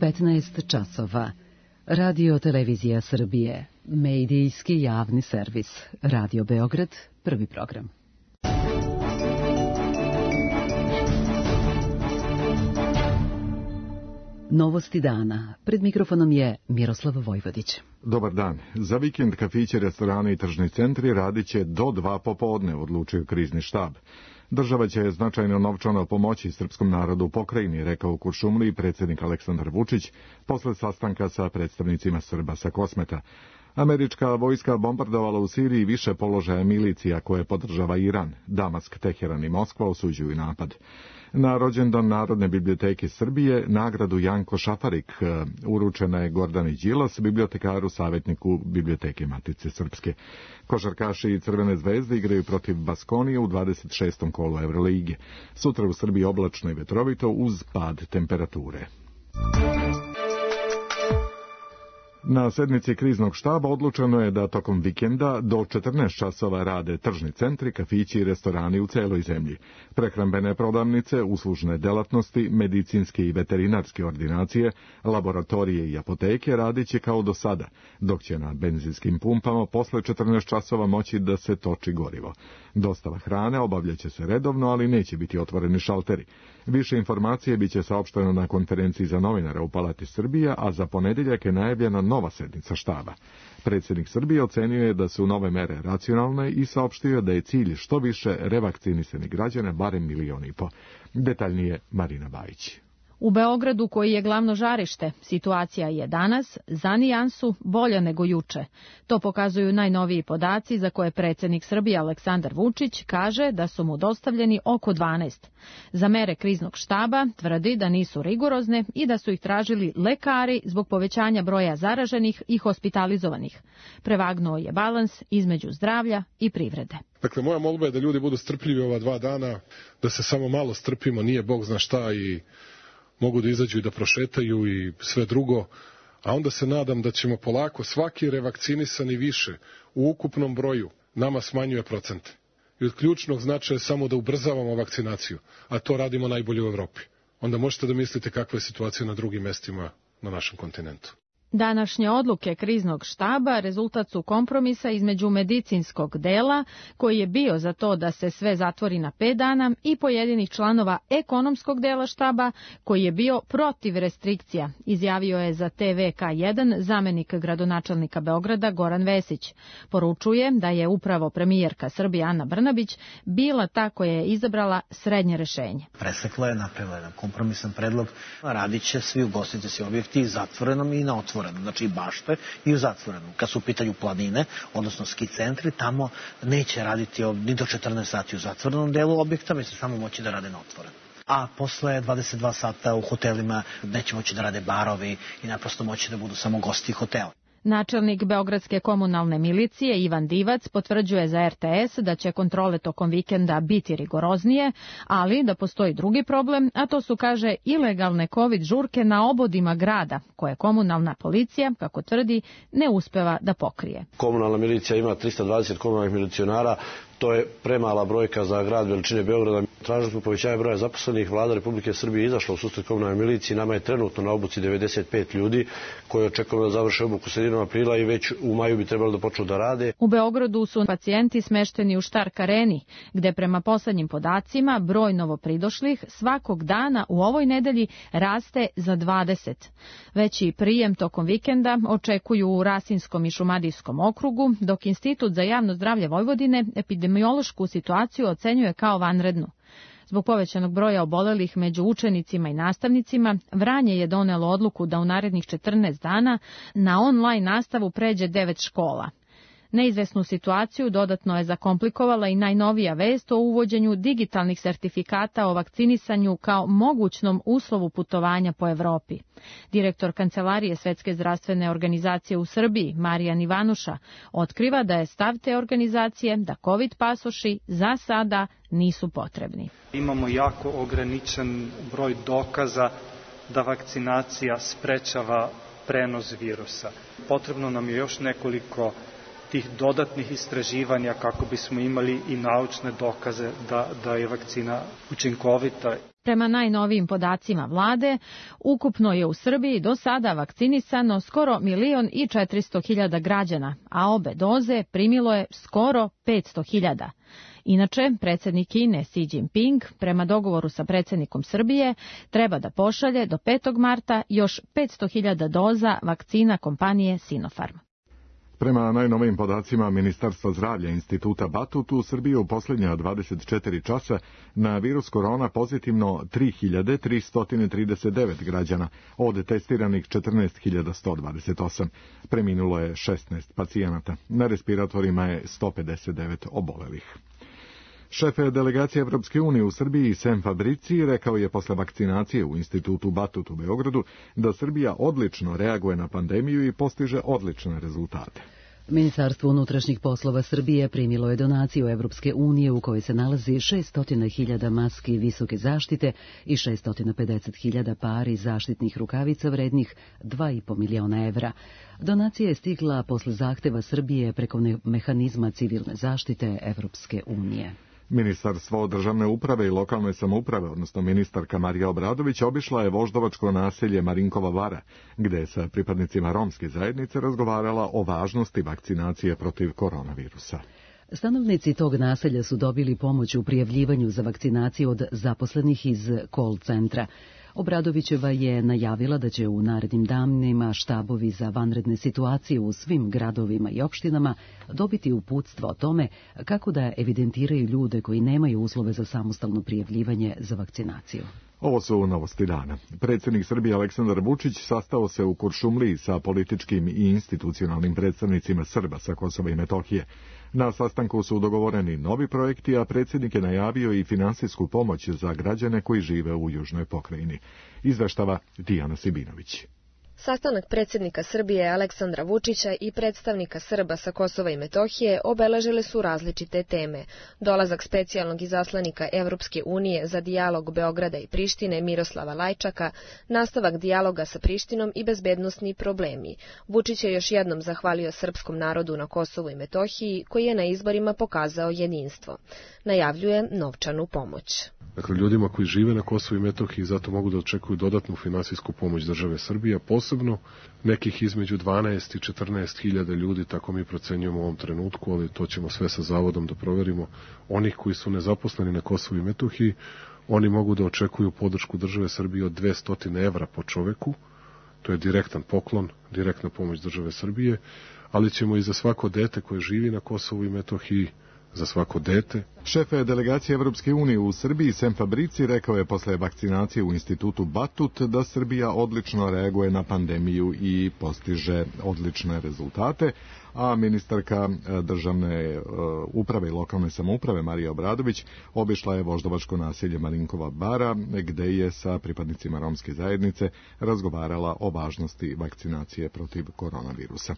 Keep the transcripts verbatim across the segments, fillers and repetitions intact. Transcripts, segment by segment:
petnaest časova. Radio Televizija Srbije, medijski javni servis. Radio Beograd, prvi program. Novosti dana. Pred mikrofonom je Miroslav Vojvodić. Dobar dan. Za vikend kafići, restorani i tržni centri radit će do dva popodne, odlučio krizni štab. Država će značajno novčano pomoći srpskom narodu u pokrajini, rekao u Kuršumliji predsjednik Aleksandar Vučić posle sastanka sa predstavnicima Srba sa Kosmeta. Američka vojska bombardovala u Siriji više položaja milicija koje podržava Iran. Damask, Teheran i Moskva osuđuju napad. Na rođendan Narodne biblioteke Srbije nagradu Janko Šafarik uručena je Gordani Đilas, bibliotekaru savjetniku Biblioteke Matice Srpske. Košarkaši i Crvene zvezde igraju protiv Baskonije u dvadeset šestom kolu Evrolige. Sutra u Srbiji oblačno i vetrovito uz pad temperature. Na sednici kriznog štaba odlučeno je da tokom vikenda do četrnaest časova rade tržni centri, kafići i restorani u celoj zemlji. Prehrambene prodavnice, uslužne delatnosti, medicinske i veterinarske ordinacije, laboratorije i apoteke radit će kao do sada, dok će na benzinskim pumpama posle četrnaest časova moći da se toči gorivo. Dostava hrane obavljaće se redovno, ali neće biti otvoreni šalteri. Više informacije biće saopšteno na konferenciji za novinara u Palati Srbija, a za ponedjeljak je najavljena nova sednica štaba. Predsjednik Srbije ocenio je da su nove mere racionalne i saopštio da je cilj što više revakcinisanih građana, barem milion i po. Detaljnije Marina Bajić. U Beogradu, koji je glavno žarište, situacija je danas za nijansu bolja nego juče. To pokazuju najnoviji podaci za koje predsjednik Srbije Aleksandar Vučić kaže da su mu dostavljeni oko dvanaest. Za mere kriznog štaba tvrdi da nisu rigorozne i da su ih tražili lekari zbog povećanja broja zaraženih i hospitalizovanih. Prevagnuo je balans između zdravlja i privrede. Dakle, moja molba je da ljudi budu strpljivi ova dva dana, da se samo malo strpimo, nije Bog zna šta i mogu da izađu i da prošetaju i sve drugo, a onda se nadam da ćemo polako svaki revakcinisani više u ukupnom broju nama smanjuje procente. I od ključnog značaja je samo da ubrzavamo vakcinaciju, a to radimo najbolje u Evropi. Onda možete da mislite kakva je situacija na drugim mestima na našem kontinentu. Današnje odluke kriznog štaba rezultat su kompromisa između medicinskog dela, koji je bio za to da se sve zatvori na pet dana, i pojedinih članova ekonomskog dela štaba, koji je bio protiv restrikcija, izjavio je za te ve ka jedan zamenik gradonačelnika Beograda Goran Vesić. Poručuje da je upravo premijerka Srbije Ana Brnabić bila ta koja je izabrala srednje rešenje. Presekla je, napravila jedan kompromisan predlog, radit će svi ugostiteljski objekti zatvorenom i na otvorenom. Znači i bašte i u zatvorenom. Kad su u pitanju planine, odnosno ski centri, tamo neće raditi ni do četrnaest sati u zatvorenom delu objekta, mi se samo moći da rade na otvorenom. A posle dvadeset dva sata u hotelima neće moći da rade barovi i naprosto moći da budu samo gosti hotela. Načelnik Beogradske komunalne milicije Ivan Divac potvrđuje za er te es da će kontrole tokom vikenda biti rigoroznije, ali da postoji drugi problem, a to su, kaže, ilegalne kovid žurke na obodima grada, koje komunalna policija, kako tvrdi, ne uspeva da pokrije. Komunalna milicija ima trista dvadeset komunalnih milicionara, to je premala brojka za grad veličine Beograda. Tražili smo povećanje broja zaposlenih, Vlada Republike Srbije izašla u susret komunalnoj miliciji, nama je trenutno na obuci devedeset pet ljudi koji očekujemo da završe obuku sredinom aprila i već u maju bi trebalo da počnu da rade. U Beogradu su pacijenti smešteni u Štark areni, gde prema poslednjim podacima broj novopridošlih svakog dana u ovoj nedelji raste za dvadeset. Veći prijem tokom vikenda očekuju u Rasinskom i Šumadijskom okrugu, dok Institut za javno zdravlje Vojvodine epidemiološku situaciju ocenjuje kao vanrednu. Zbog povećanog broja obolelih među učenicima i nastavnicima, Vranje je donelo odluku da u narednih četrnaest dana na online nastavu pređe devet škola. Neizvesnu situaciju dodatno je zakomplikovala i najnovija vest o uvođenju digitalnih sertifikata o vakcinisanju kao mogućnom uslovu putovanja po Evropi. Direktor Kancelarije Svetske zdravstvene organizacije u Srbiji, Marijan Ivanuša, otkriva da je stav te organizacije da COVID pasoši za sada nisu potrebni. Imamo jako ograničen broj dokaza da vakcinacija sprečava prenos virusa. Potrebno nam je još nekoliko tih dodatnih istraživanja kako bismo imali i naučne dokaze da, da je vakcina učinkovita. Prema najnovijim podacima vlade, ukupno je u Srbiji do sada vakcinisano skoro milion i četiristo hiljada građana, a obe doze primilo je skoro petsto hiljada. Inače, predsjednik Kine Xi Jinping, prema dogovoru sa predsjednikom Srbije, treba da pošalje do petog marta još petsto hiljada doza vakcina kompanije Sinopharm. Prema najnovijim podacima Ministarstva zdravlja Instituta Batut, u Srbiji u posljednja dvadeset četiri časa na virus korona pozitivno tri hiljade tristo trideset devet građana, od testiranih četrnaest hiljada sto dvadeset osam. Preminulo je šesnaest pacijenata. Na respiratorima je sto pedeset devet obolelih. Šef delegacije Evropske unije u Srbiji Sem Fabrici rekao je posle vakcinacije u Institutu Batut u Beogradu da Srbija odlično reaguje na pandemiju i postiže odlične rezultate. Ministarstvo unutrašnjih poslova Srbije primilo je donaciju Evropske unije u kojoj se nalazi šesto hiljada maski visoke zaštite i šesto pedeset hiljada pari zaštitnih rukavica vrednih dva i po miliona evra. Donacija je stigla posle zahteva Srbije preko mehanizma civilne zaštite Evropske unije. Ministarstvo državne uprave i lokalne samouprave, odnosno ministarka Marija Obradović, obišla je voždovačko naselje Marinkova Vara, gde je sa pripadnicima romske zajednice razgovarala o važnosti vakcinacije protiv koronavirusa. Stanovnici tog naselja su dobili pomoć u prijavljivanju za vakcinaciju od zaposlenih iz call centra. Obradovićeva je najavila da će u narednim danima štabovi za vanredne situacije u svim gradovima i opštinama dobiti uputstvo o tome kako da evidentiraju ljude koji nemaju uslove za samostalno prijavljivanje za vakcinaciju. Ovo su novosti dana. Predsjednik Srbije Aleksandar Vučić sastao se u Kuršumliji sa političkim i institucionalnim predstavnicima Srba sa Kosova i Metohije. Na sastanku su dogovoreni novi projekti, a predsjednik je najavio i finansijsku pomoć za građane koji žive u južnoj pokrajini. Izveštava Dijana Sibinović. Sastanak predsjednika Srbije Aleksandra Vučića i predstavnika Srba sa Kosova i Metohije obeležile su različite teme. Dolazak specijalnog izaslanika Evropske unije za dijalog Beograda i Prištine Miroslava Lajčaka, nastavak dijaloga sa Prištinom i bezbednosni problemi. Vučić je još jednom zahvalio srpskom narodu na Kosovu i Metohiji, koji je na izborima pokazao jedinstvo. Najavljuje novčanu pomoć. Dakle, ljudima koji žive na Kosovu i Metohiji zato mogu da očekuju dodatnu finansijsku pomoć države Srbije, posebno nekih između dvanaest i četrnaest hiljada ljudi, tako mi procenjujemo u ovom trenutku, ali to ćemo sve sa zavodom da proverimo. Onih koji su nezaposleni na Kosovu i Metohiji, oni mogu da očekuju podršku države Srbije od dvesta evra po čoveku, to je direktan poklon, direktna pomoć države Srbije, ali ćemo i za svako dete koje živi na Kosovu i Metohiji, za svako dete. Šef delegacije Evropske unije u Srbiji Sem Fabrici rekao je posle vakcinacije u Institutu Batut da Srbija odlično reaguje na pandemiju i postiže odlične rezultate, a ministarka državne uprave i lokalne samouprave Marija Obradović obišla je voždovačko naselje Marinkova Bara, gde je sa pripadnicima romske zajednice razgovarala o važnosti vakcinacije protiv koronavirusa.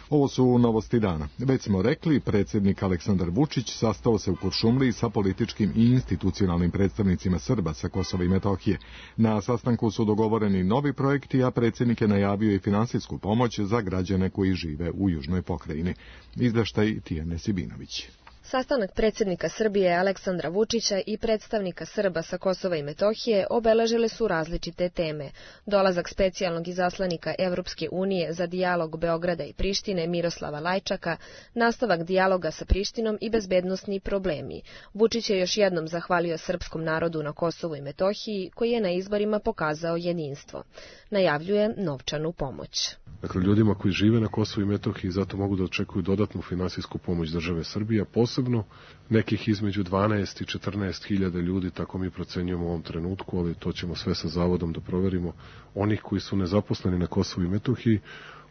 Ovo su novosti dana. Već smo rekli, predsjednik Aleksandar Vučić sastao se u Kuršumliji sa političkim i institucionalnim predstavnicima Srba sa Kosova i Metohije. Na sastanku su dogovoreni novi projekti, a predsjednik je najavio i finansijsku pomoć za građane koji žive u južnoj pokrajini. Izveštaj Tijane Sibinović. Sastanak predsjednika Srbije Aleksandra Vučića i predstavnika Srba sa Kosova i Metohije obeležile su različite teme. Dolazak specijalnog izaslanika Evropske unije za dijalog Beograda i Prištine Miroslava Lajčaka, nastavak dijaloga sa Prištinom i bezbednosni problemi. Vučić je još jednom zahvalio srpskom narodu na Kosovu i Metohiji, koji je na izborima pokazao jedinstvo. Najavljuje novčanu pomoć. Dakle, ljudima koji žive na Kosovu i Metohiji zato mogu da očekuju dodatnu finansijsku pomoć države Srbije, posebno nekih između dvanaest i četrnaest hiljada ljudi, tako mi procenjujemo u ovom trenutku, ali to ćemo sve sa zavodom da proverimo. Onih koji su nezaposleni na Kosovu i Metohiji,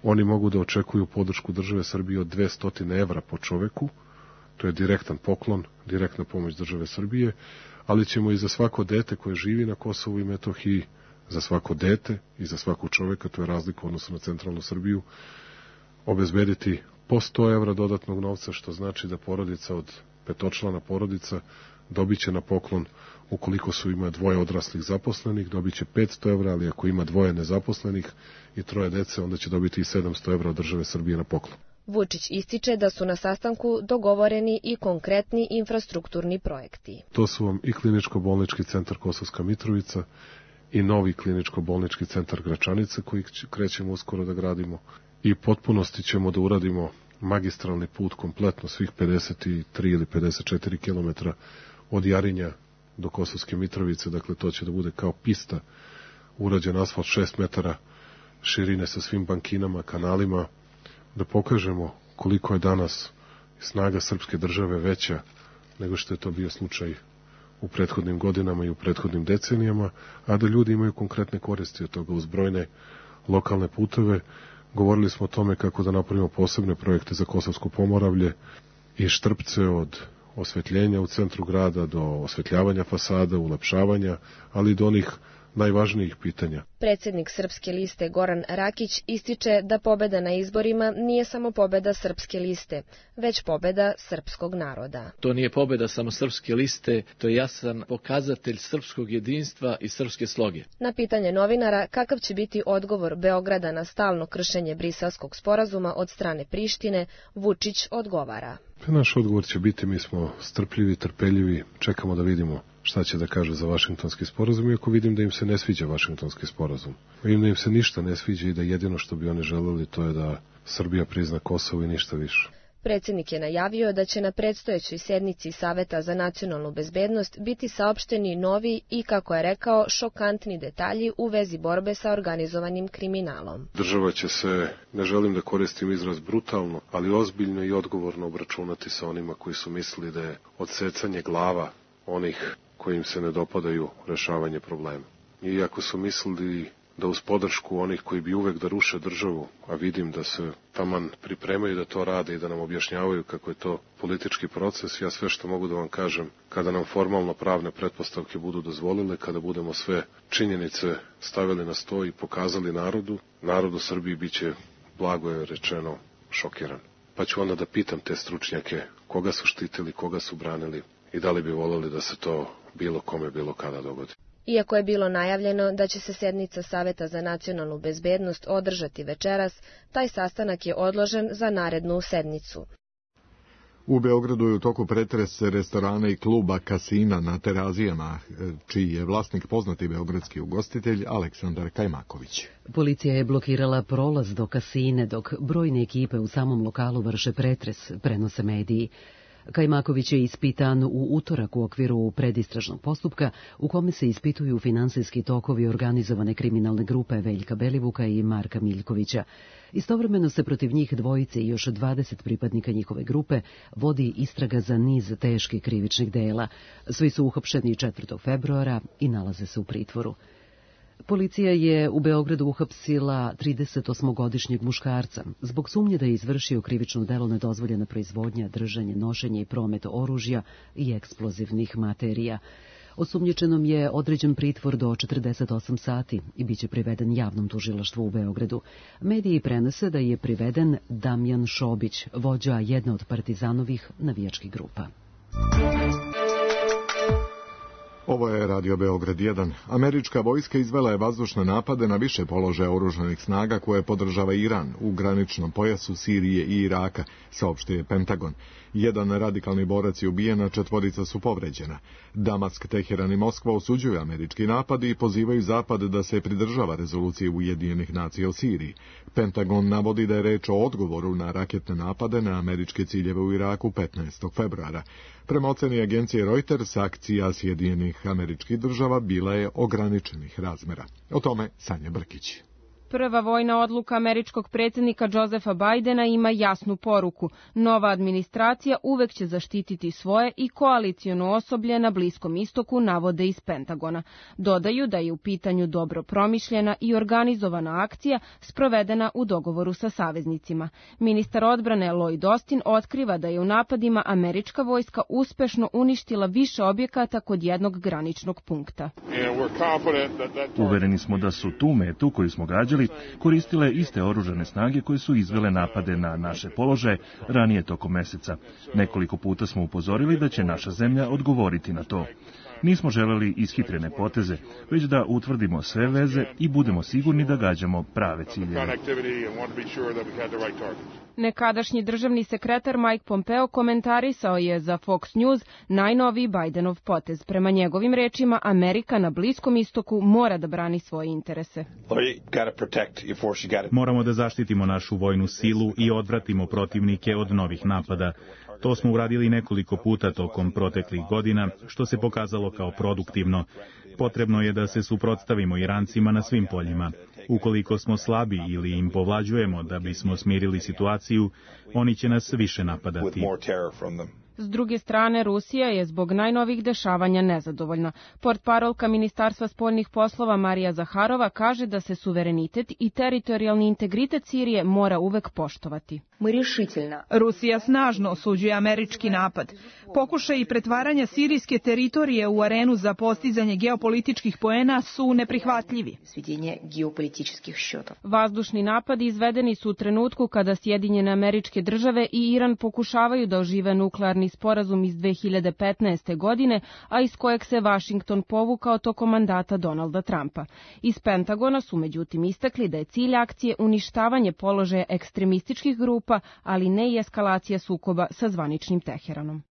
oni mogu da očekuju podršku države Srbije od dvesta evra po čoveku, to je direktan poklon, direktna pomoć države Srbije, ali ćemo i za svako dete koje živi na Kosovu i Metohiji, za svako dete i za svakog čoveka, to je razlika u odnosu na centralnu Srbiju, obezbediti po sto evra dodatnog novca, što znači da porodica od petočlana porodica dobit će na poklon, ukoliko su ima dvoje odraslih zaposlenih, dobit će petsto evra, ali ako ima dvoje nezaposlenih i troje dece, onda će dobiti i sedamsto evra od države Srbije na poklon. Vučić ističe da su na sastanku dogovoreni i konkretni infrastrukturni projekti. To su vam i kliničko-bolnički centar Kosovska Mitrovica i novi kliničko-bolnički centar Gračanica koji krećemo uskoro da gradimo. I potpunosti ćemo da uradimo magistralni put kompletno svih pedeset tri ili pedeset četiri kilometra od Jarinja do Kosovske Mitrovice, dakle to će da bude kao pista, urađen asfalt šest metara širine sa svim bankinama, kanalima, da pokažemo koliko je danas snaga srpske države veća nego što je to bio slučaj u prethodnim godinama i u prethodnim decenijama, a da ljudi imaju konkretne koristi od toga uz brojne lokalne puteve. Govorili smo o tome kako da napravimo posebne projekte za Kosovsko Pomoravlje i Štrpce od osvetljenja u centru grada do osvetljavanja fasada, ulepšavanja, ali i do onih najvažnijih pitanja. Predsjednik Srpske liste Goran Rakić ističe da pobeda na izborima nije samo pobeda Srpske liste, već pobeda srpskog naroda. To nije pobeda samo Srpske liste, to je jasan pokazatelj srpskog jedinstva i srpske sloge. Na pitanje novinara kakav će biti odgovor Beograda na stalno kršenje Briselskog sporazuma od strane Prištine, Vučić odgovara. Naš odgovor će biti, mi smo strpljivi, trpeljivi, čekamo da vidimo šta će da kaže za Vašingtonski sporazum, iako vidim da im se ne sviđa Vašingtonski sporazum. Vidim da im se ništa ne sviđa i da jedino što bi oni želeli to je da Srbija prizna Kosovo i ništa više. Predsjednik je najavio da će na predstojećoj sednici Saveta za nacionalnu bezbednost biti saopšteni novi i, kako je rekao, šokantni detalji u vezi borbe sa organizovanim kriminalom. Država će se, ne želim da koristim izraz brutalno, ali ozbiljno i odgovorno obračunati sa onima koji su mislili da je odsecanje glava onih koji im se ne dopadaju rešavanje problema. I ako su mislili da uz podršku onih koji bi uvek da ruše državu, a vidim da se taman pripremaju da to rade i da nam objašnjavaju kako je to politički proces, ja sve što mogu da vam kažem, kada nam formalno pravne pretpostavke budu dozvolile, kada budemo sve činjenice stavili na sto i pokazali narodu, narod u Srbiji biće, blago je rečeno, šokiran. Pa ću onda da pitam te stručnjake koga su štitili, koga su branili i da li bi voleli da se to bilo kome, bilo kada dogodi. Iako je bilo najavljeno da će se sednica Saveta za nacionalnu bezbednost održati večeras, taj sastanak je odložen za narednu sednicu. U Beogradu je u toku pretres restorana i kluba Kasina na Terazijama, čiji je vlasnik poznati beogradski ugostitelj Aleksandar Kajmaković. Policija je blokirala prolaz do Kasine, dok brojne ekipe u samom lokalu vrše pretres, prenose mediji. Kajmaković je ispitan u utorak u okviru predistražnog postupka u kome se ispituju finansijski tokovi organizovane kriminalne grupe Veljka Belivuka i Marka Miljkovića. Istovremeno se protiv njih dvojice i još dvadeset pripadnika njihove grupe vodi istraga za niz teških krivičnih dela. Svi su uhapšeni četvrtog februara i nalaze se u pritvoru. Policija je u Beogradu uhapsila tridesetosmogodišnjeg muškarca zbog sumnje da je izvršio krivično delo nedozvoljena proizvodnja, držanje, nošenje i promet oružja i eksplozivnih materija. Osumnjičenom je određen pritvor do četrdeset osam sati i biće priveden javnom tužilaštvu u Beogradu. Mediji prenose da je priveden Damjan Šobić, vođa jedne od partizanovih navijačkih grupa. Ovo je Radio Beograd jedan. Američka vojska izvela je vazdušne napade na više položaja oružanih snaga koje podržava Iran u graničnom pojasu Sirije i Iraka, saopštio je Pentagon. Jedan radikalni borac je ubijen, a četvorica su povređena. Damask, Teheran i Moskva osuđuju američki napad i pozivaju Zapad da se pridržava rezolucije Ujedinjenih nacija o Siriji. Pentagon navodi da je reč o odgovoru na raketne napade na američke ciljeve u Iraku petnaestog februara. Prema oceni agencije Reuters, akcija Sjedinjenih američkih država bila je ograničenih razmera. O tome Sanja Brkić. Prva vojna odluka američkog predsjednika Josefa Bajdena ima jasnu poruku. Nova administracija uvek će zaštititi svoje i koalicijono osoblje na Bliskom istoku, navode iz Pentagona. Dodaju da je u pitanju dobro promišljena i organizovana akcija sprovedena u dogovoru sa saveznicima. Ministar odbrane Lloyd Austin otkriva da je u napadima američka vojska uspešno uništila više objekata kod jednog graničnog punkta. Uvereni smo da su tu metu koju smo gađali koristile iste oružane snage koje su izvele napade na naše položaje ranije tokom meseca. Nekoliko puta smo upozorili da će naša zemlja odgovoriti na to. Nismo želeli ishitrene poteze, već da utvrdimo sve veze i budemo sigurni da gađamo prave ciljeve. Nekadašnji državni sekretar Mike Pompeo komentarisao je za Fox News najnoviji Bidenov potez. Prema njegovim rečima, Amerika na Bliskom istoku mora da brani svoje interese. Moramo da zaštitimo našu vojnu silu i odvratimo protivnike od novih napada. To smo uradili nekoliko puta tokom proteklih godina, što se pokazalo kao produktivno. Potrebno je da se suprotstavimo Irancima na svim poljima. Ukoliko smo slabi ili im povlađujemo da bismo smirili situaciju, oni će nas više napadati. S druge strane, Rusija je zbog najnovih dešavanja nezadovoljna. Portparolka Ministarstva spoljnih poslova Marija Zaharova kaže da se suverenitet i teritorijalni integritet Sirije mora uvek poštovati. Rusija snažno osuđuje američki napad. Pokušaj i pretvaranja sirijske teritorije u arenu za postizanje geopolitičkih poena su neprihvatljivi. Vazdušni napadi izvedeni su u trenutku kada Sjedinjene Američke Države i Iran pokušavaju da ožive nuklearni sporazum iz dve hiljade petnaeste. godine, a iz kojeg se Vašington povukao tokom mandata Donalda Trumpa. Iz Pentagona su međutim istakli da je cilj akcije uništavanje položaja ekstremističkih grupa, ali ne i eskalacija sukoba sa zvaničnim Teheranom.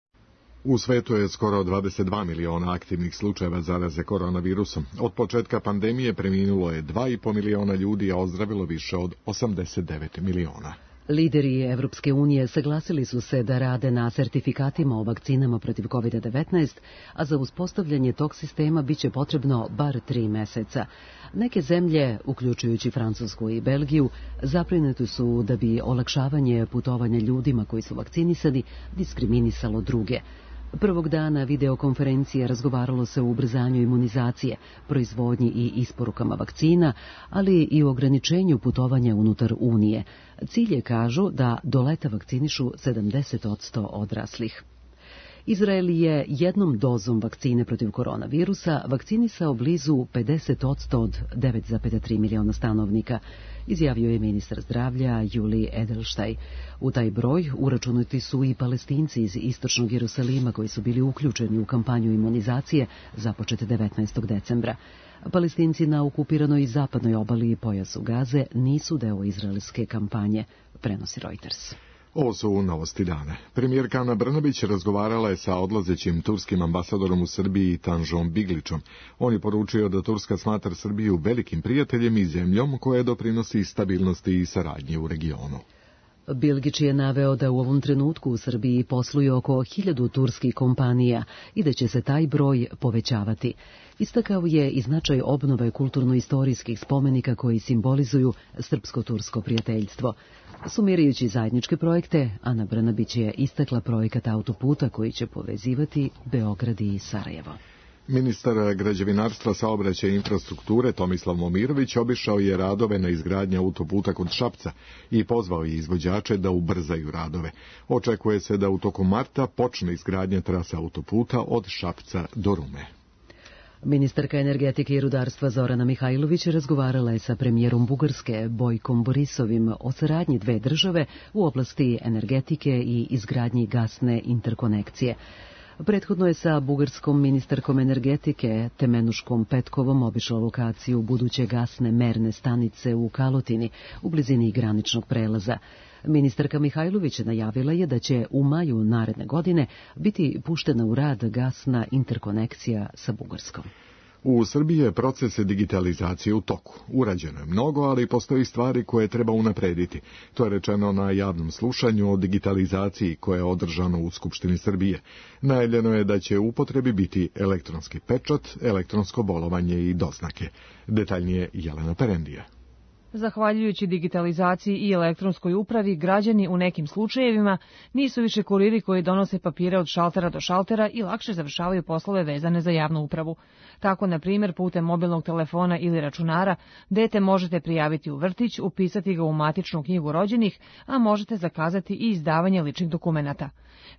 U svetu je skoro dvadeset dva miliona aktivnih slučajeva zaraze koronavirusom. Od početka pandemije preminulo je dva i po miliona ljudi, a ozdravilo više od osamdeset devet miliona. Lideri Evropske unije saglasili su se da rade na sertifikatima o vakcinama protiv kovid devetnaest, a za uspostavljanje tog sistema biće potrebno bar tri meseca. Neke zemlje, uključujući Francusku i Belgiju, zaprinute su da bi olakšavanje putovanja ljudima koji su vakcinisani diskriminisalo druge. Prvog dana videokonferencije razgovaralo se o ubrzanju imunizacije, proizvodnji i isporukama vakcina, ali i o ograničenju putovanja unutar Unije. Cilj je, kažu, da do leta vakcinišu sedamdeset posto odraslih. Izrael je jednom dozom vakcine protiv koronavirusa vakcinisao blizu pedeset posto od devet zarez tri miliona stanovnika, izjavio je ministar zdravlja Juli Edelštaj. U taj broj uračunati su i Palestinci iz istočnog Jerusalima koji su bili uključeni u kampanju imunizacije započete devetnaestog decembra. Palestinci na okupiranoj zapadnoj obali i pojasu Gaze nisu deo izraelske kampanje, prenosi Reuters. Ovo su novosti dana. Premijerka Ana Brnabić razgovarala je sa odlazećim turskim ambasadorom u Srbiji Tanžom Biglićom. On je poručio da Turska smatra Srbiju velikim prijateljem i zemljom koja doprinosi stabilnosti i saradnji u regionu. Bilgić je naveo da u ovom trenutku u Srbiji posluje oko hiljadu turskih kompanija i da će se taj broj povećavati. Istakao je i značaj obnove kulturno-istorijskih spomenika koji simbolizuju srpsko-tursko prijateljstvo. Sumirajući zajedničke projekte, Ana Brnabić je istakla projekat autoputa koji će povezivati Beograd i Sarajevo. Ministar građevinarstva, saobraćaja i infrastrukture Tomislav Momirović obišao je radove na izgradnji autoputa kod Šapca i pozvao je izvođače da ubrzaju radove. Očekuje se da u toku marta počne izgradnja trase autoputa od Šapca do Rume. Ministarka energetike i rudarstva Zorana Mihajlović razgovarala je sa premijerom Bugarske Bojkom Borisovim o saradnji dve države u oblasti energetike i izgradnji gasne interkonekcije. Prethodno je sa bugarskom ministarkom energetike Temenuškom Petkovom obišla lokaciju buduće gasne merne stanice u Kalotini, u blizini graničnog prelaza. Ministarka Mihajlović najavila je da će u maju naredne godine biti puštena u rad gasna interkonekcija sa Bugarskom. U Srbiji je proces digitalizacije u toku. Urađeno je mnogo, ali postoji stvari koje treba unaprediti. To je rečeno na javnom slušanju o digitalizaciji koje je održano u Skupštini Srbije. Najavljeno je da će u upotrebi biti elektronski pečat, elektronsko bolovanje i doznake. Detaljnije Jelena Perendija. Zahvaljujući digitalizaciji i elektronskoj upravi, građani u nekim slučajevima nisu više kuriri koji donose papire od šaltera do šaltera i lakše završavaju poslove vezane za javnu upravu. Tako, na primjer, putem mobilnog telefona ili računara, dete možete prijaviti u vrtić, upisati ga u matičnu knjigu rođenih, a možete zakazati i izdavanje ličnih dokumenata.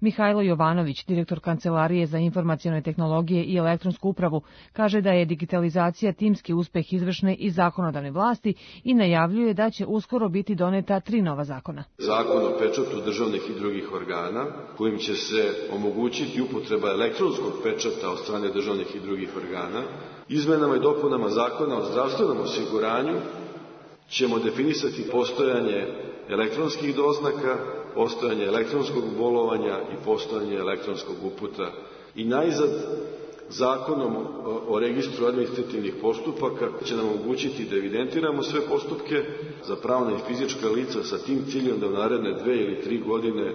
Mihajlo Jovanović, direktor Kancelarije za informacione tehnologije i elektronsku upravu, kaže da je digitalizacija timski uspeh izvršne i zakonodavne vlasti i najavljuje da će uskoro biti doneta tri nova zakona. Zakon o pečatu državnih i drugih organa, kojim će se omogućiti upotreba elektronskog pečata od strane državnih i drugih organa. Izmenama i dopunama Zakona o zdravstvenom osiguranju ćemo definisati postojanje elektronskih doznaka, postojanje elektronskog bolovanja i postojanje elektronskog uputa. I najzad, Zakonom o registru administrativnih postupaka će nam omogućiti da evidentiramo sve postupke za pravna i fizička lica sa tim ciljem da u naredne dve ili tri godine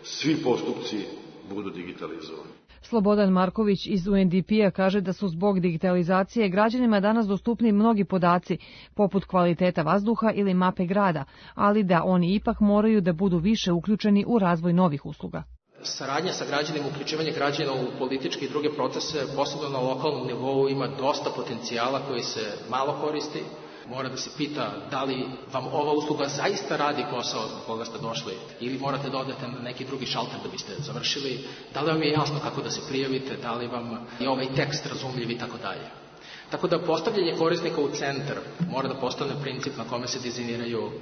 svi postupci budu digitalizovani. Slobodan Marković iz U N D P-a kaže da su zbog digitalizacije građanima danas dostupni mnogi podaci, poput kvaliteta vazduha ili mape grada, ali da oni ipak moraju da budu više uključeni u razvoj novih usluga. Saradnja sa građanima, uključivanje građana u političke i druge procese, posebno na lokalnom nivou, ima dosta potencijala koji se malo koristi. Mora da se pita da li vam ova usluga zaista radi posao zbog koga ste došli ili morate da odete na neki drugi šalter da biste završili, da li vam je jasno kako da se prijavite, da li vam je ovaj tekst razumljiv i tako dalje. Tako da postavljanje korisnika u centar mora da postane princip na kome se dizajniraju uh,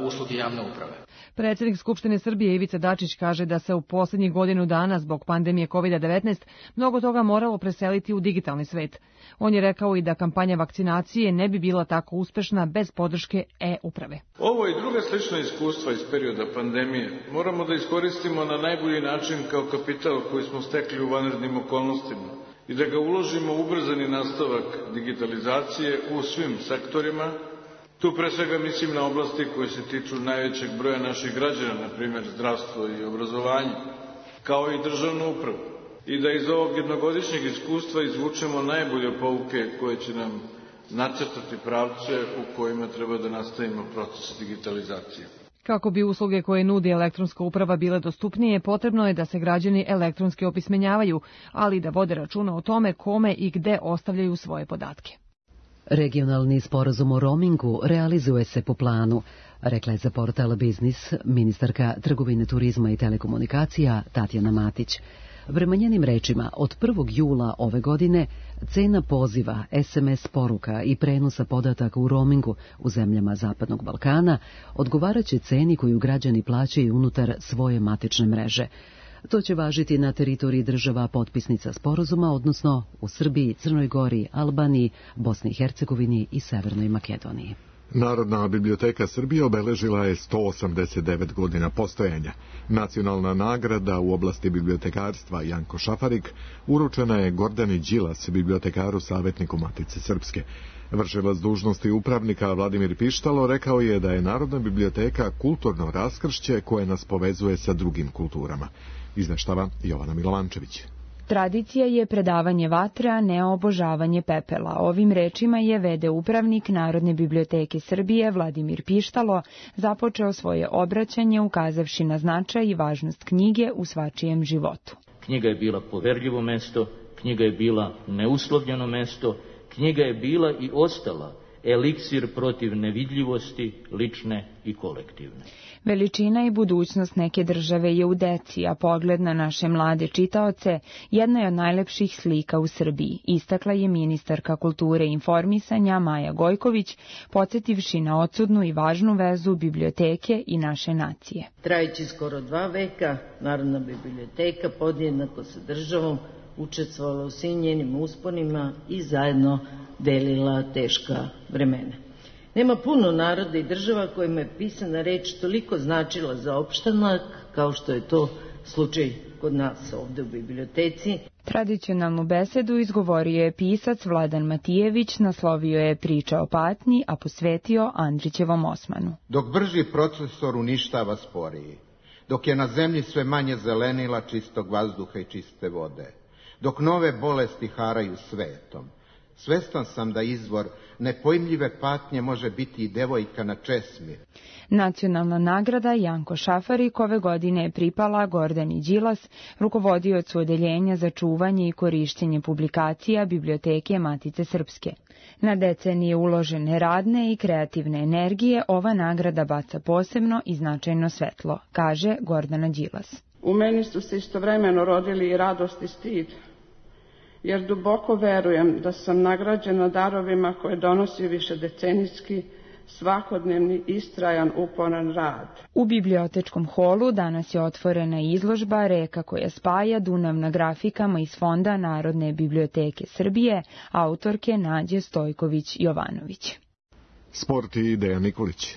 usluge javne uprave. Predsjednik Skupštine Srbije Ivica Dačić kaže da se u posljednjih godinu dana zbog pandemije kovid devetnaest mnogo toga moralo preseliti u digitalni svet. On je rekao i da kampanja vakcinacije ne bi bila tako uspešna bez podrške e-uprave. Ovo i druga slična iskustva iz perioda pandemije moramo da iskoristimo na najbolji način kao kapital koji smo stekli u vanrednim okolnostima i da ga uložimo u ubrzani nastavak digitalizacije u svim sektorima. Tu pre svega mislim na oblasti koje se tiču najvećeg broja naših građana, na primjer zdravstvo i obrazovanje, kao i državnu upravu. I da iz ovog jednogodišnjeg iskustva izvučemo najbolje pouke koje će nam nacrtati pravce u kojima treba da nastavimo proces digitalizacije. Kako bi usluge koje nudi elektronska uprava bile dostupnije, potrebno je da se građani elektronski opismenjavaju, ali da vode računa o tome kome i gde ostavljaju svoje podatke. Regionalni sporazum o roamingu realizuje se po planu, rekla je za portal Biznis ministarka trgovine, turizma i telekomunikacija Tatjana Matić. Prema njenim rečima, od prvog jula ove godine cena poziva, es em es poruka i prenosa podataka u roamingu u zemljama Zapadnog Balkana odgovaraće ceni koju građani plaćaju unutar svoje matične mreže. To će važiti na teritoriji država potpisnica sporazuma, odnosno u Srbiji, Crnoj Gori, Albaniji, Bosni i Hercegovini i Severnoj Makedoniji. Narodna biblioteka Srbije obeležila je sto osamdeset devet godina postojanja. Nacionalna nagrada u oblasti bibliotekarstva Janko Šafarik uručena je Gordani Đilas, bibliotekaru savjetniku Matice Srpske. Vršilac dužnosti upravnika Vladimir Pištalo rekao je da je Narodna biblioteka kulturno raskršće koje nas povezuje sa drugim kulturama. Izveštava Jovana Milovančević. Tradicija je predavanje vatre, a ne obožavanje pepela. Ovim rečima je ve de upravnik Narodne biblioteke Srbije Vladimir Pištalo započeo svoje obraćanje ukazavši na značaj i važnost knjige u svačijem životu. Knjiga je bila poverljivo mesto, knjiga je bila neuslovljeno mesto, knjiga je bila i ostala eliksir protiv nevidljivosti, lične i kolektivne. Veličina i budućnost neke države je u deci, a pogled na naše mlade čitaoce jedna je od najlepših slika u Srbiji, istakla je ministarka kulture i informisanja Maja Gojković, podsjetivši na odsudnu i važnu vezu biblioteke i naše nacije. Trajući skoro dva veka, Narodna biblioteka podjednako sa državom učestvovala u svim njenim usponima i zajedno delila teška vremena. Nema puno naroda i država kojima je pisana reč toliko značila za opštanak, kao što je to slučaj kod nas ovde u biblioteci. Tradicionalnu besedu izgovorio je pisac Vladan Matijević, naslovio je Priča o patnji, a posvetio Andrićevom Osmanu. Dok brži procesor uništava sporiji, dok je na zemlji sve manje zelenila, čistog vazduha i čiste vode, dok nove bolesti haraju svetom, svestan sam da izvor nepojmljive patnje može biti i devojka na česmi. Nacionalna nagrada Janko Šafarik ove godine je pripala Gordani Đilas, rukovodiocu odeljenja za čuvanje i korišćenje publikacija Biblioteke Matice Srpske. Na decenije uložene radne i kreativne energije ova nagrada baca posebno i značajno svetlo, kaže Gordana Đilas. U meni su se istovremeno rodili i radost i stid, jer duboko verujem da sam nagrađena darovima koje donosi višedecenijski, svakodnevni, istrajan, uporan rad. U bibliotečkom holu danas je otvorena izložba Reka koja spaja Dunav na grafikama iz Fonda Narodne biblioteke Srbije, autorke Nađe Stojković-Jovanović. Sport i Dejan Nikolić.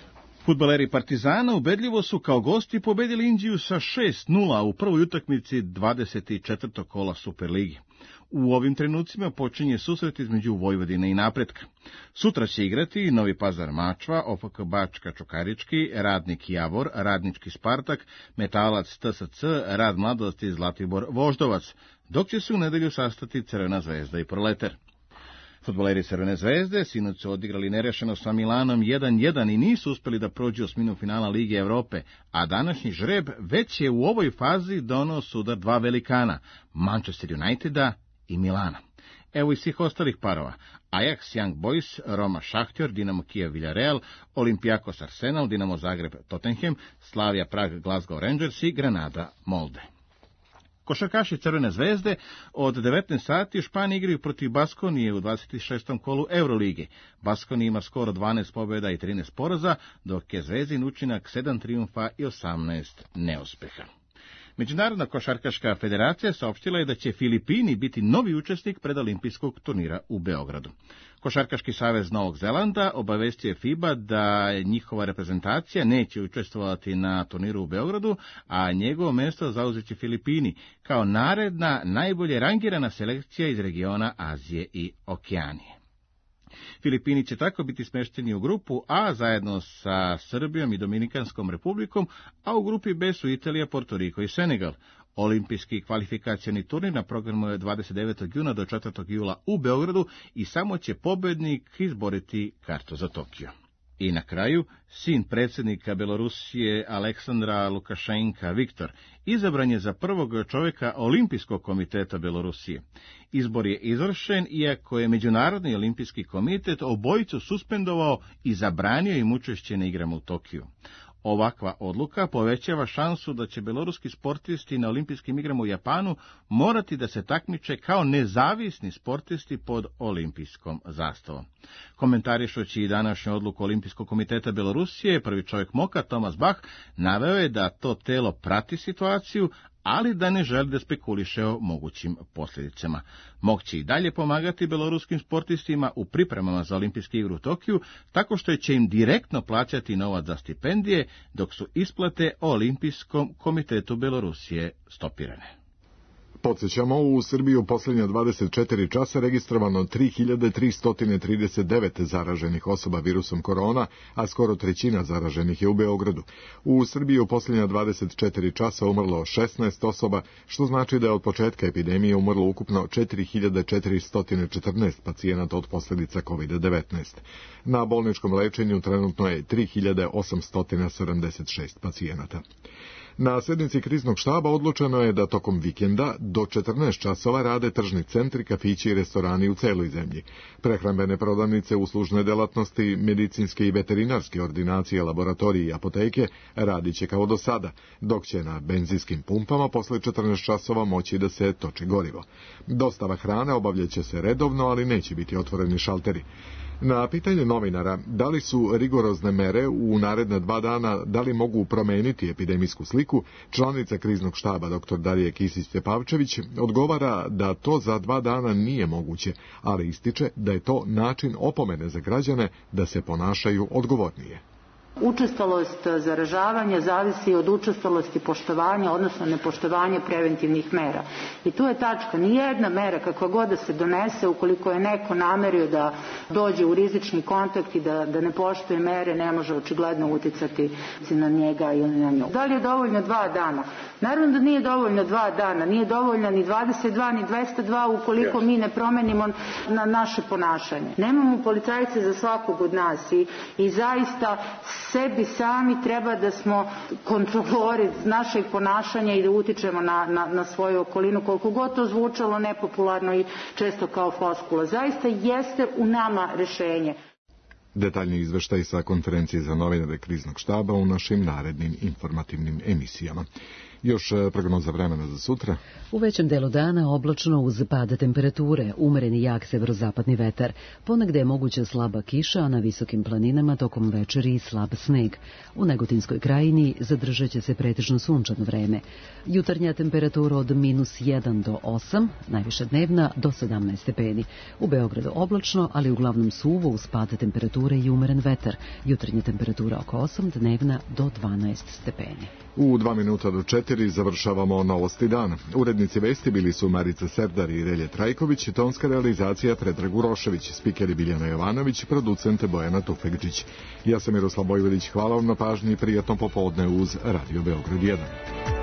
Fudbaleri Partizana ubedljivo su kao gosti pobedili Indiju sa šest nula u prvoj utakmici dvadeset četvrtog kola Superligi. U ovim trenucima počinje susret između Vojvodine i Napretka. Sutra će igrati Novi Pazar Mačva, O F K Bačka Čukarički, Radnik Javor, Radnički Spartak, Metalac T S C, Rad Mladosti Zlatibor Voždovac, dok će se u nedelju sastati Crvena Zvezda i Proletar. Fudbaleri Crvene Zvezde sinoć su odigrali nerešeno sa Milanom jedan jedan i nisu uspeli da prođu osminu finala Lige Evrope, a današnji žreb već je u ovoj fazi doneo sudar dva velikana, Manchester Uniteda i Milana. Evo i svih ostalih parova: Ajax Young Boys, Roma Šahtjor, Dinamo Kijev Villarreal, Olympiakos Arsenal, Dinamo Zagreb Tottenham, Slavia Prag Glasgow Rangers i Granada Molde. Košarkaši Crvene Zvezde od devetnaest sati u Španiji igraju protiv Baskonije u dvadeset šestom kolu Eurolige. Baskonija ima skoro dvanaest pobjeda i trinaest poraza, dok je Zvezdin učinak sedam trijumfa i osamnaest neuspeha. Međunarodna košarkaška federacija saopštila je da će Filipini biti novi učesnik predolimpijskog turnira u Beogradu. Košarkaški savez Novog Zelanda obavestio je FIBA da njihova reprezentacija neće učestvovati na turniru u Beogradu, a njegovo mjesto zauzet će Filipini kao naredna najbolje rangirana selekcija iz regiona Azije i Okeanije. Filipini će tako biti smješteni u grupu A zajedno sa Srbijom i Dominikanskom republikom, a u grupi B su Italija, Porto Riko i Senegal. Olimpijski kvalifikacioni turnir na programu je dvadeset devetog juna do četvrtog jula u Beogradu i samo će pobednik izboriti kartu za Tokio. I na kraju, sin predsjednika Belorusije Aleksandra Lukašenka Viktor izabran je za prvog čovjeka Olimpijskog komiteta Belorusije. Izbor je izvršen iako je Međunarodni olimpijski komitet obojicu suspendovao i zabranio im učešće na igrama u Tokiju. Ovakva odluka povećava šansu da će beloruski sportisti na olimpijskim igrama u Japanu morati da se takmiče kao nezavisni sportisti pod olimpijskom zastavom. Komentarišući i današnju odluku Olimpijskog komiteta Belorusije, prvi čovjek Moka, Tomas Bach, naveo je da to telo prati situaciju, ali da ne želi da spekuliše o mogućim posljedicama. Mok će i dalje pomagati beloruskim sportistima u pripremama za olimpijske igre u Tokiju, tako što će im direktno plaćati novac za stipendije, dok su isplate Olimpijskom komitetu Belorusije stopirane. Podsjećamo, u Srbiji u posljednja dvadeset četiri časa registrovano tri hiljade tristo trideset devet zaraženih osoba virusom korona, a skoro trećina zaraženih je u Beogradu. U Srbiji u posljednja dvadeset četiri časa umrlo šesnaest osoba, što znači da je od početka epidemije umrlo ukupno četiri hiljade četiristo četrnaest pacijenata od posljedica kovid devetnaest. Na bolničkom lečenju trenutno je tri hiljade osamsto sedamdeset šest pacijenata. Na sjednici kriznog štaba odlučeno je da tokom vikenda do četrnaest časova rade tržni centri, kafići i restorani u celoj zemlji. Prehrambene prodavnice, uslužne delatnosti, medicinske i veterinarske ordinacije, laboratorije i apoteke radit će kao do sada, dok će na benzinskim pumpama posle četrnaest časova moći da se toči gorivo. Dostava hrane obavljaće se redovno, ali neće biti otvoreni šalteri. Na pitanje novinara da li su rigorozne mere u naredna dva dana, da li mogu promeniti epidemijsku sliku, članica kriznog štaba dr. Darija Kisić-Tepavčević odgovara da to za dva dana nije moguće, ali ističe da je to način opomene za građane da se ponašaju odgovornije. Učestalost zaražavanja zavisi od učestalosti poštovanja, odnosno nepoštovanja preventivnih mera. I tu je tačka. Nijedna mera, kakva god da se donese, ukoliko je neko namerio da dođe u rizični kontakt i da, da ne poštuje mere, ne može očigledno uticati na njega ili na nju. Da li je dovoljno dva dana? Naravno da nije dovoljno dva dana, nije dovoljno ni dvadeset dva, ni dvesta dva ukoliko mi ne promenimo na naše ponašanje. Nemamo policajce za svakog od nas i, i zaista sebi sami treba da smo kontrolori našeg ponašanja i da utičemo na, na, na svoju okolinu, koliko god to zvučalo nepopularno i često kao floskula. Zaista jeste u nama rešenje. Detaljni izveštaj sa konferencije za novinare kriznog štaba u našim narednim informativnim emisijama. Još prognoza vremena za sutra. U većem delu dana oblačno uz pad temperature, umereni jak severozapadni vetar. Ponegde je moguća slaba kiša, a na visokim planinama tokom večeri slab sneg. U Negotinskoj krajini zadržat će se pretežno sunčano vreme. Jutarnja temperatura od minus jedan do osam, najviša dnevna do sedamnaest stepeni. U Beogradu oblačno, ali uglavnom suvo uz pad temperature i umeren vetar. Jutarnja temperatura oko osam, dnevna do dvanaest stepeni. U dva minuta do četiri završavamo novosti dana. Urednici vesti bili su Marica Serdar i Relje Trajković, tonska realizacija Predrag Urošević, spikeri Biljana Jovanović, producente Bojana Tufekđić. Ja sam Miroslav Bojvodić, hvala vam na pažnji i prijatno popodne uz Radio Beograd jedan.